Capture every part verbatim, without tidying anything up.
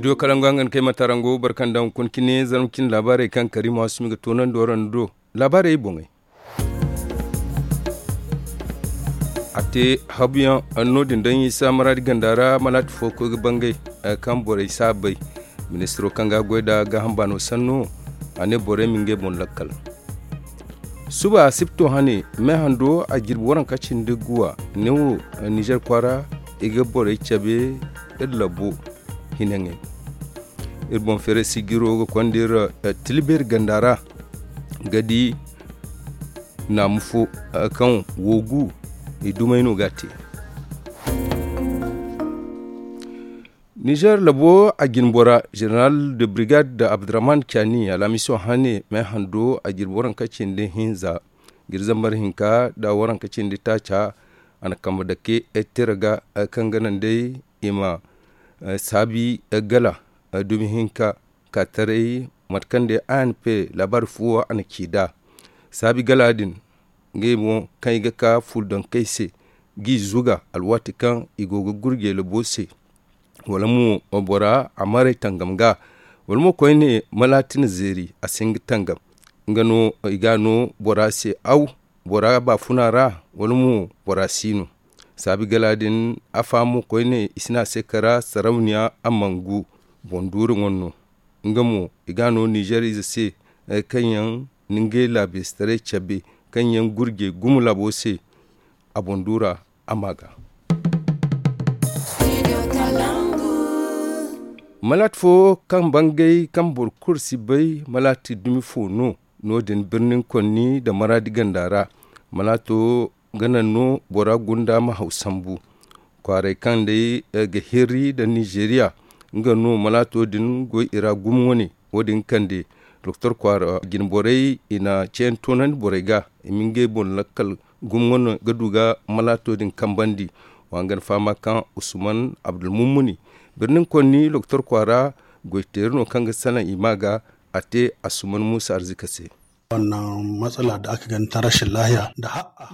Studio kalangu hangan kay matarango barkandaŋ kun cine zarma cine laabaarey kaŋ kariima waasumi ga toonandi waraŋ do. Laabaarey boŋey. A te habuyaŋ no- din daŋ isa maraadi ganda ra malaati fo koy ga bangay kaŋ borey si a bay. Ministiro kaŋ ga a goy nd'a gaaham baano sanno, a ne borey ma ngey boŋ lakkal. Suba asibto hane, me hando a jirbi waranka cindi guwa, neewo nizer kwaara i ga borey cabe iri labo hinaŋey. Iri boŋ feeray sijiro ga konda iri tilbeeri ganda ra ga di naamu fo kaŋ woogu i dumey no ga a te. Nizer labo a jinbora, zeneral de brigade abdurrahman cani alhamiso hane me hando a jirbi waranka cindi hinza, jirbi zambar hinka nda waranka cindi taaca. A na kambe dake tira ga kaŋ ga naŋ day i ma saabi gala dumi hinka ka taray mate kaŋ day a n p laabaari fuwo a na ci nd'a. Saabi gala din ngey mo kaŋ i ga ka fuudankey se g'i zuga alwaati kaŋ i go ga gurjey labo se, wala mo bora a maray tangam ga, wala mo koyne malaati na zeeri a si hin ga tangam. Nga no i ga a no bora se aw, bora baafuna ra, wala mo bora si no. Saabi gala din afa mo koyne i si ne a se kara sarawniya a mangu boŋ duuri ŋwanno. Nga mo i ga a no nizer ize se kaŋ yaŋ na ngey laabeesitaray cabe kaŋ yaŋ gurjey gumo laabo se. A boŋ duura a ma ga malaati fo kaŋ bangay kaŋ boro kulu si bay malaati dumi fo no. No- din birnin konni nda maraadi ganda ra malaato ga naŋ no bora gunda ma haw sambu. Kwaaray kaŋ day ga hirri nda nizeeriya nga no malaato din goy i ra gumo wane. Wo- din kande doktor kwaara jinborey i na ceeyaŋ toonandi borey ga i ma ngey boŋ lakkal gumo wane ga du ga malaato din kambandi. Wa nga na fahama kaŋ usman abdulmummuni birnin konni doktor kwaara goyteeri no kaŋ ga salaŋ i ma ga a te asuman muusa arzika se.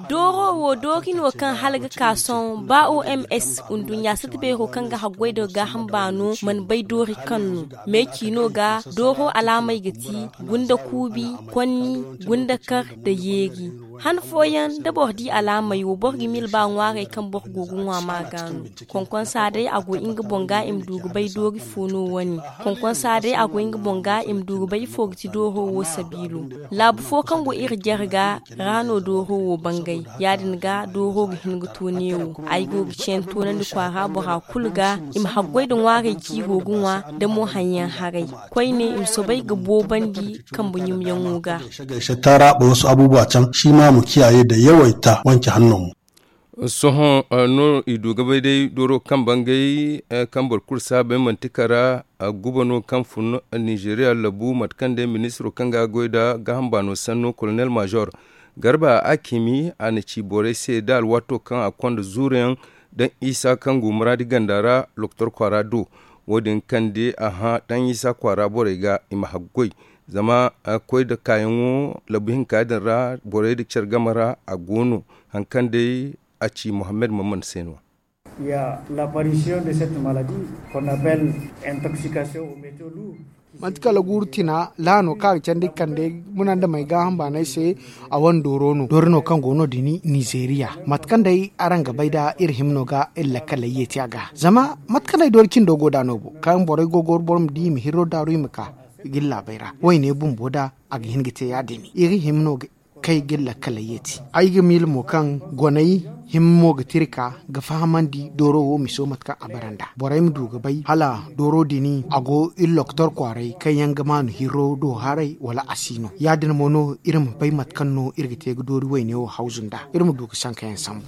Dooro wo doori no kaŋ hala ga ka sohõ ba o m s nduɲɲa sata beero kaŋ ga haggoy da gaaham baano mana bay doori kaŋ no. Meeci no ga dooro alaamey ga ti gunda kuubi, konni, gunda kar, nda yeeri. Han fooyaŋ da boro di alaamey wo boro ga miila ba ŋwaarey kaŋ boro go ga ŋwa ma ga no. Konkonsa day a go nga boŋ ga i ma du ga bay doori fo no wane. Konkonsa day a go nga boŋ ga i ma du ga bay ifo ga ti dooro wo sabiilo. Laabu fo kaŋ go iri jare ga ra no dooro wo bangay. Ya- din ga dooro ga hin ga to neewo. Ay go ga ceeyaŋ toonandi kwaara bora kulu ga i ma haggoy nda ŋwaarey ciiro ga ŋwa nda mo haŋ yaŋ haray. Koyne i ma soobay ga boobandi kambe ɲumyaŋo ga. Taara boro wasu abubuwa caŋ shi ma a ma kiyaye nda yawaita wanke hanno mo. Sohõ no i du ga bay day dooro kaŋ bangay kaŋ boro kulu si a bay manti kara guba no kaŋ fun nizeeriya labu mate kaŋ day ministiro kaŋ ga a goy nda gaaham baano sanno kolonel maazor garba akimi a na ci borey se da alwaato kaŋ a konda zuuruyaŋ daŋ isa kaŋ go muraadi ganda ra lokotor kwaara do. Wo- din kaŋ day a hã daŋ isa kwaara borey ga i ma haggoy zama koy nda kaayaŋo labu hinka din ra borey nda care game ra a go no. Hari kaŋ day a ci mohammed maman se no. Ya la parisiyon de cette maladie qu'on appelle intoxication au métaux lourd. Manti kala guuru tina laano kaŋ a ga candi kande munandamey gaaham baanay se. A wane dooro no doori no kaŋ go no- din nizeeriya mate kaŋ day araŋ ga bay nda iri hima no ga iri lakkaley yeeti a ga zama mate kaŋ day doori cindo go nd'a no bo kaŋ borey go goro boro ma di i ma hirro daaru i ma ka ga iri laabey ra wayne bumbo nda a ga hin ga te ya- din iri hima no ga kay ga iri lakkaley yeeti. Ay ga miila mo kaŋ goney hima mo ga tira ka ga fahamandi dooro wo miso mate kaŋ a bara nd'a borey ma du ga bay hala dooro din a go iri lokotor kwaaray kaŋ yaŋ ga maanu hirro do haray wala a si no ya- din mo no iri ma bay mate kaŋ no iri ga te ga doori wayne wo hawzu nd'a iri ma du ga sankayaŋ sambu.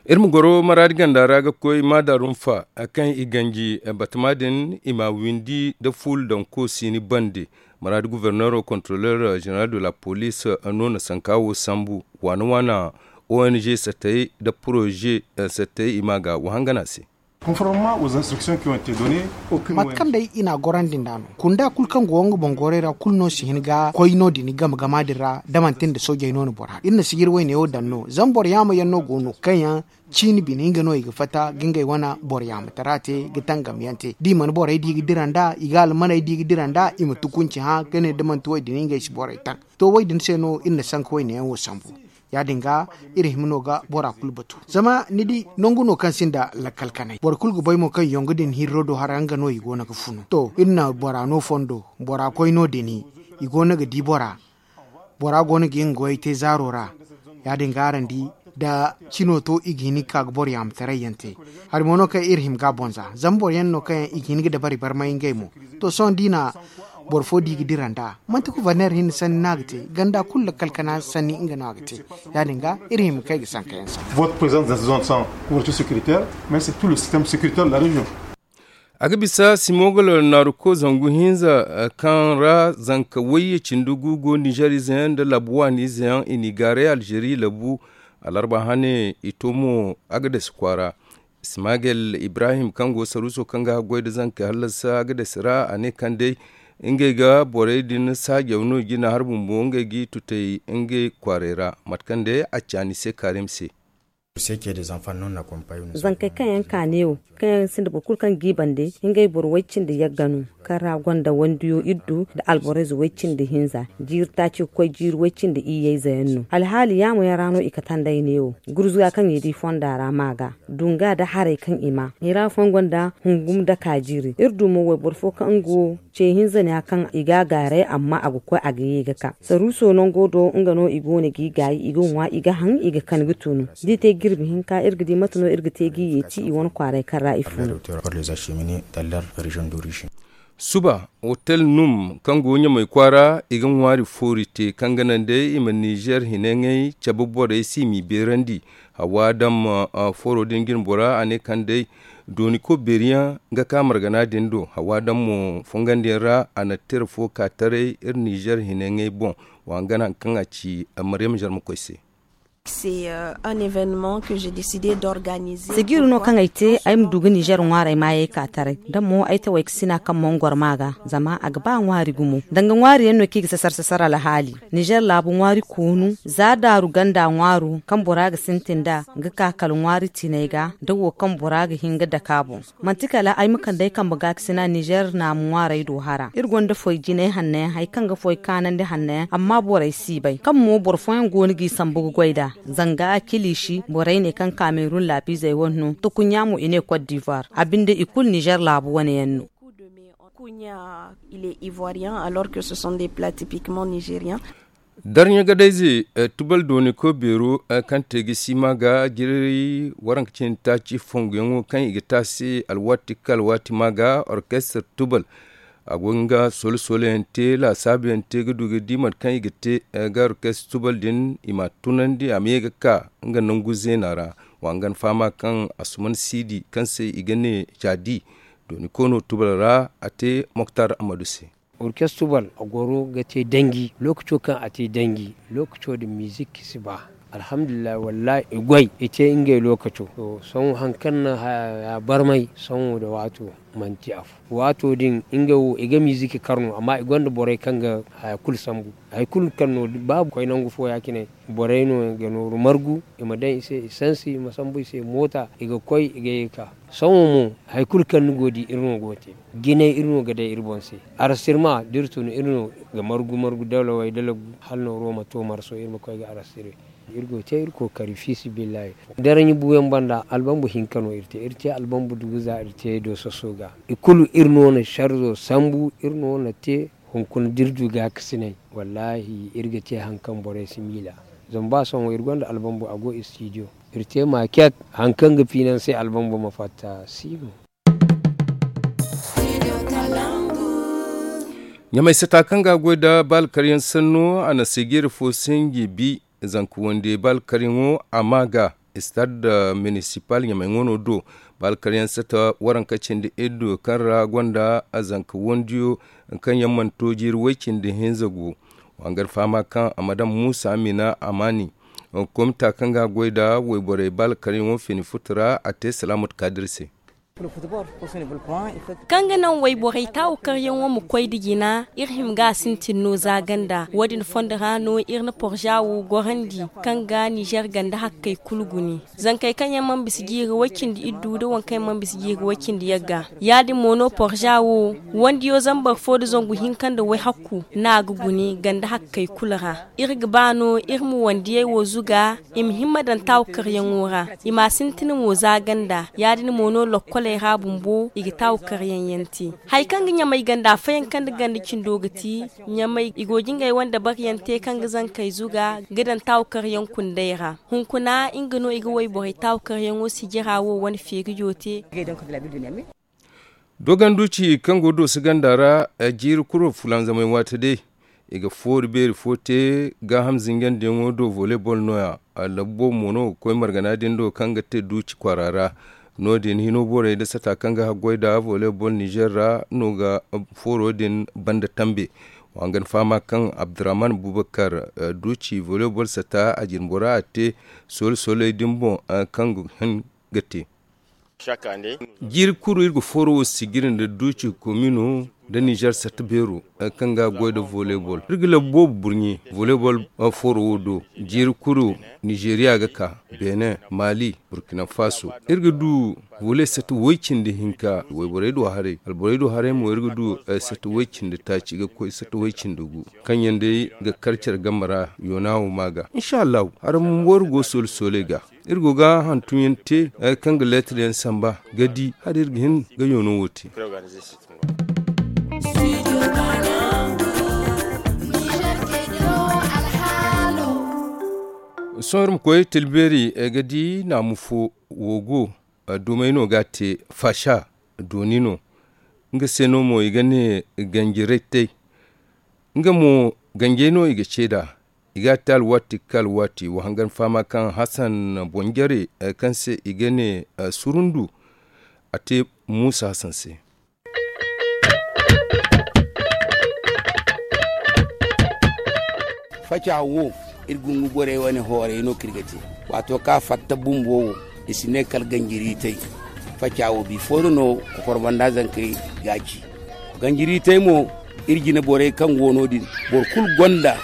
Iri ma goro maraadi ganda ra ga koy maada rumfa kaŋ i ganji batama din i ma windi nda fuula daŋ koosini bande. Maraadi guverneero kontroleer zeneral de la poliis no na sanka wo sambu waana waana ong sattey nda poroze sattey i ma ga wahangana se. Conformément aux instructions qui ont été données, aucune mate kaŋ day i n'a gorandi nd'a no kunda kulu kaŋ go nga boŋ goray ra kulu no si hin ga koy no- din game gama din ra da manti nda soojey no na bora iri na sijiri wayne wo daŋ no zama boro yaama yaŋ no go no kaŋ yaŋ ciini bine nga no i ga fatta ga ngey wane boro yaamatara te ga tangam yaŋ te da i mana borey di ga dira nd'a i ga almaney di ga dira nd'a i ma tukunci hã ga ne da manti wo- din ngey si borey taŋ. To wo- din se no iri na sanka wayne yaŋ wo sambu. Ya- din ga iri hima no ga bora kulu batu zama ni di nangu no kaŋ sinda lakkal kanay boro kulu ga bay mo kaŋ yongu din hirro do hara nga no i go no ga funu to iri na bora no fondo bora koy no- din i go no ga di bora. Bora go no ga nga goyey te zaaro ra. Ya- din ga araŋ di da cino to i ga hin ga ka ga boro yaamataray yaŋ te. Hari mo no kaŋ iri hima ga a boŋ za zama boro yaŋ no kaŋ yaŋ i ga hin ga dabari barmay ngey mo. To sohõ da i na boro fo di ga dira nd'a manti kuverner hinne sanni no a ga te ganda kulu lakkal kana sanni nga no a ga te. Ya- din ga iri hima kay ga sanka yaŋ sanni. Votre présence dans cette zone sans couverture sécuritaire, mais c'est tout le système sécuritaire de la région. A ga bisa simogolo naaruko zangu hinza kaŋ ra zanka wayye cindi gu go nizer ize yaŋ nda labu waani ize yaŋ i n'i gaaray alzeri labu. Alarba hane i to mo a ga dasi kwaara. Ismagel ibrahim kaŋ go saruuso kaŋ ga haggoy nda zankey hallasa a ga dasi ra a ne kaŋ day ngey ga borey din saajaw no i ga i na har bumbo ngey g'i tutay ngey kwaaray ra mate kaŋ day a caani se kaarim se. Zankey kaŋ yaŋ ka neewo kaŋ yaŋ sinda boro kulu kaŋ g'i bande ngey boro way-cindi yagga no kaŋ ra gonda wandiyo iddu nda alborayze way-cindi hinza jiiri taaci ga koy jiiri way-cindi iyyayze yaŋ no alhaali yaamo yaŋ ra no i kate nd'ay neewo gurzuga kaŋ i di fonda ra ma ga dunga nda haray kaŋ i ma i ra fooyaŋ gonda hungum daka jiiri iri du mo wayboro fo kaŋ nga wo ce hinza ne a kaŋ i ga a gaaray amma a ga koy a ga ye ga ka saruuso nango do nga no i go no g'i gaayi i ga ŋwa i ga haŋ i ga kan ga tunu da i te jirbi hinka iri ga di mate no iri ga te g'i yeeti i wane kwaaray kaŋ ra i funu. Suba hotel num kaŋ go ɲamay kwaara i ga ŋwaari foori te kaŋ ga naŋ day i ma nizer hinay ŋay cabe borey se i m'i beerandi. Hawa daŋ ma foro din jine bora a ne kaŋ day dooni ko beeri yaŋ ga ka margana din do hawa daŋ mo fongandi yaŋ ra a na tira fo ka taray iri nizer hinay ŋay boŋ. Wa hangan hari kaŋ a ci maryam zarma koy se. Sigiru no kaŋ ay te ay ma du ga nizer ŋwaarey maayey ka taray da mo ay taway ga sina kaŋ mongor ma ga zama a ga ba ŋwaari gumo danga ŋwaari yaŋ no kaŋ i ga sasar sasar alhaali. Nizer laabu ŋwaari koonu za daaru ganda ŋwaaro kaŋ bora ga sintin nd'a ga ka kala ŋwaari tiinay ga da wo kaŋ bora ga hin ga dake a boŋ. Manti kala ay ma kande ay kambe gaakasina nizer naamu ŋwaarey do hara iri gonda foy jinay hanno yaŋ hari kaŋ ga foy kaanandi hanno yaŋ amma borey si bay kaŋ mo boro fooyaŋ go no g'i sambu ga goy nd'a. Zanga kiliisi borey ne kaŋ kaamerun laabiizey wane no tukuɲɲa mo i ne kot divoir a binde i kulu nizer laabu wane yaŋ no. Darɲa gadayze tubal dooni koy beero kaŋ te ga si ma ga jiray waranka cindi taaci fonguyaŋo kaŋ i ga te a se alwaati ka alwaati ma ga orkestar tubal. A go ga nga solo-solo yaŋ te laasaabu yaŋ te ga du ga di mate kaŋ i ga te ga orkestar tubal din i m'a tunandi a ma ye ga ka nga nangu zeena ra. Wa hangan fahama kaŋ asuman siidi kaŋ se i ga ne caadi dooni koono tubal ra a te moktar ammadu se. Orkestubal a goro ga te danji lookaco kaŋ a te danji lookaco din mizik si ba. Alhamdulillahi wallahi i goy i te ngey lookaco. Sohõ hari kaŋ na haya barmay sohõ nda waato manti afo. Waato din ngey wo i ga mizik kar no amma i gonda borey kaŋ ga haya kulu sambu. Hari kulu kaŋ no ba koy nangu fo ya- cine borey no ga nooru margu i ma daŋ i se i sansi i ma sambu i se moota i ga koy i ga ye ga ka. Sohõ mo hari kulu kaŋ ni go ga di iri no go ga te. Jinay iri no ga day iri boŋ se. Arastirma da iri tun iri no ga margu margu dalawey da lagu hala nooro ma to marso iri ma koy ga arastire. Iri go ga te iri kookari fiisabilillahi. Daraɲi buuyaŋ banda albambu hinka no iri te iri te albambu dugu za iri te doososo ga. I kulu iri no na sarzo sambu iri no na te. Hunkuna da iri du gaakasinay wallaahi iri ga te hari kaŋ borey si miila. Zama ba sohõ iri gonda albambu a go istidiyo. Iri te maaket hari kaŋ ga fiinansay albambu ma fatta si no. Ɲamay sata kaŋ ga a goy nda baalkaryaŋ sanno a na seejeeri fo sinji bi. Zanka wande baalkaryaŋo a ma ga istad minisipal ɲamay ŋwano do. Baalkaryaŋ sata waranka cindi iddu kaŋ ra gonda zanka wandiyo kaŋ yaŋ mana to jiiri way cindi hinza go. Wa hangan fahama kaŋ a ma daŋ muusa amina amaani komita kaŋ ga a goy nda wayborey baalkaryaŋo fini futu ra a te salaamat kaadir se. Kaŋ ga naŋ wayborey taawu karyaŋo ma koy nda jina, iri hima ga a sintin no za ganda. Wo- din fondo ra no iri na porza wo gorandi, kaŋ ga nizer ganda hakkey kulu guni. Zankey kaŋ yaŋ mana bisa jiiri way-cindi iddu nda waŋ kaŋ yaŋ mana bisa jiiri way-cindi yagga. Ya- din mo no porza wo, wandiyo zambar fo nda zangu hinka nda wayhakku no a ga guni ganda hakkey kulu ra. Iri ga ba no iri ma wandiyey wo zuga, i ma himma daŋ taawu karyaŋo ra, i m'a sintin mo za ganda. Ya- din mo no lokkoley ra bumbo i ga taawu karyaŋ yaŋ te. Hari kaŋ ga ɲamay ganda fayanka nda ganda cindo ga ti, ɲamay i go ga ngey wane dabaryaŋ te kaŋ ga zankey zuga ga daŋ taawu karyaŋ kundey ra. Hunkuna nga no i ga wayborey taawu karyaŋo sijira wo wane feerijo te. Dogon duuci kaŋ go dooso ganda ra, jiiri kuro fulanzamay waati day, i ga foori beeri fo te. Gaaham zinjandiyaŋo do voleybol nooya. Labu boobo mo no ga koy margana din do kaŋ ga te duuci kwaara ra. No- din hino borey nda sata kaŋ ga haggoy nda voleybol nizer ra no ga fooro din banda tambe. Wa hangan fahama kaŋ abdurrahman bubakar, duuci voleybol sata a jinbora a te soola sooley din boŋ, kaŋ ga hin ga te. Jiiri kulu iri ga fooro wo sijiri nda duuci komino nda nizer satta beero, kaŋ ga goy nda voleybol. Iri ga labu boobo burɲe voleybol fooro wo do. Jiiri kulu nizeriya ga ka, benin, mali, burkina faso. Iri ga du voley satta way-cindi hinka wayborey do haray, alborey do haray mo iri ga du satta way-cindi taaci ga koy satta way-cindi gu, kaŋ yaŋ day ga kar care game ra. Yoona wo ma ga insha allahu hari bumbo iri go soola sooley ga. Iri go ga hantumyaŋ te, kaŋ ga leetaryaŋ samba ga di hala iri ga hin ga yoono wo te. Sohõ iri ma koy tilbeeri ga di naamu fo wo go. Dumey no ga a te faasa dooni no. Nga se no mo i ga ne ganjiray tay. Nga mo ganjey no i ga ceeda. I ga a te alwaati ga ka alwaati wa hangan fahama kaŋ hasan bonjare, kaŋ se i ga ne surundu, a te muusa hasan se. Faca wo iri gungu borey wane hooray no kaŋ iri ga te. Waato kaŋ a fatta bumbo wo i si ne kala ganjiri tay. Faca wo bi foodo no kokor banda zankey ga a ci. Ganjiri tay mo iri jine borey kaŋ go no- din, boro kulu gonda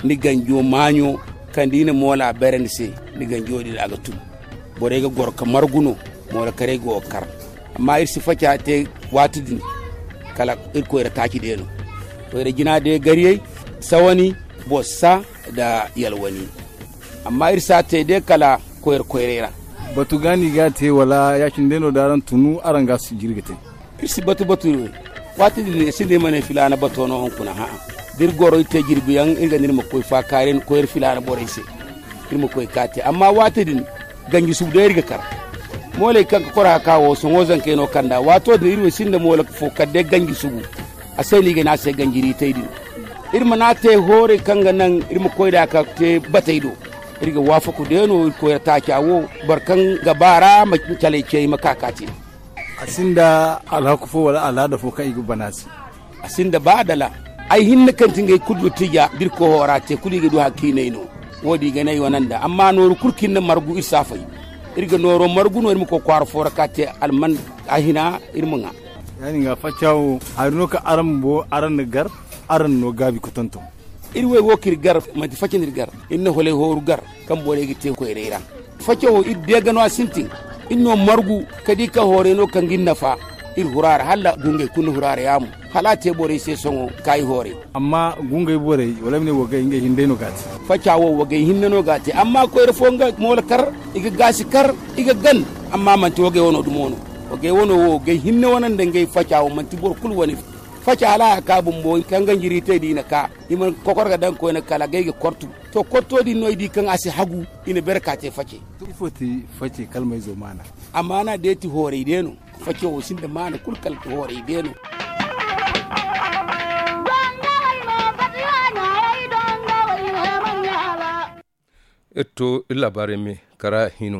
ni ganjo maaɲo kaŋ da i na moola bare ni se, ni ganjo din a ga tun. Borey ga goro ka margu no. Moola karey go ga kar. Amma iri si faca te waati din kala iri koyra taaci day no. Koyra jina day gariyey, sawani, bossa, nda yalwani. Amma iri si a te day kala koyra koyray ra. Batu ga no i ga a te wala ya- cine day no da araŋ tunu araŋ ga a sijiri ga te? Iri si batu batu. Waati din iri sinda iri ma ne filaana bato no hunkuna ha'a. Da iri goro iri te jirbi yaŋ iri ga ne iri ma koy faakaari koyra filaana borey se. Iri ma koy ka te amma waati din ganji subu day iri ga kar. Mooley kaŋ ga kora ka wo sohõ zankey no kanda waato din iri wo sinda moola fo kala day ganji subu. A se no i ga ne a se ganjiri tay din. Iri mana te hoorey kaŋ ga naŋ iri ma koy nd'a ka te batey do. Iri ga waafaku day no iri koyra taaca wo boro kaŋ ga ba ra ma caley ce i ma ka ka te. A sinda alhaku fo wala al'aada fo kaŋ i ga bana se. A sinda ba adala. Ay hinne kaŋ ti ngey kulu du tija da iri koy hoora te kulu i ga du hari kaŋ i n'ay no. Wo- din i ga ne ay wane nda amma nooru kulu kaŋ iri na margu iri si a fay. Iri ga nooro margu no iri ma koy kwaara fo ra ka te alman a hina iri ma ŋwa. Ya- din ga faca wo hari no kaŋ araŋ bumbo araŋ na gar araŋ na no gaabi ka tonton. Iri wey wo kaŋ iri gar manti faca no iri gar. Iri na holay hooru gar kaŋ borey ga te koyray ra. Faca wo iri deega no a sintin. Iri no margu ka di kaŋ hooray no kaŋ ga iri nafa. Iri hura ra hala gungey kulu na hura ra yaamo hala a te borey se sohõ kaayi hooray. Amma gungey borey wala ay ma ne wagay ngey hinne day no ga a te. Faca wo wagay hinne no ga a te amma koyra fo nga moola kar i ga gaasi kar i ga gan. Amma manti wagay wano dumo no. Wagay wano wo wagay hinne wane nda ngey faca wo manti boro kulu wane. Faca hala a ga ka bumbo kaŋ ganjiri te da i na ka i mana kokor ga daŋ koyne kala gay ga kortu. To korto din no i di kaŋ a si hagu i na bere ka te face. Ifo ti face kalmayzo maana? Amaana day ti hooray day no. Face wo sinda maana kulu kala hooray day no. Iri to iri laabaarey me kara hino.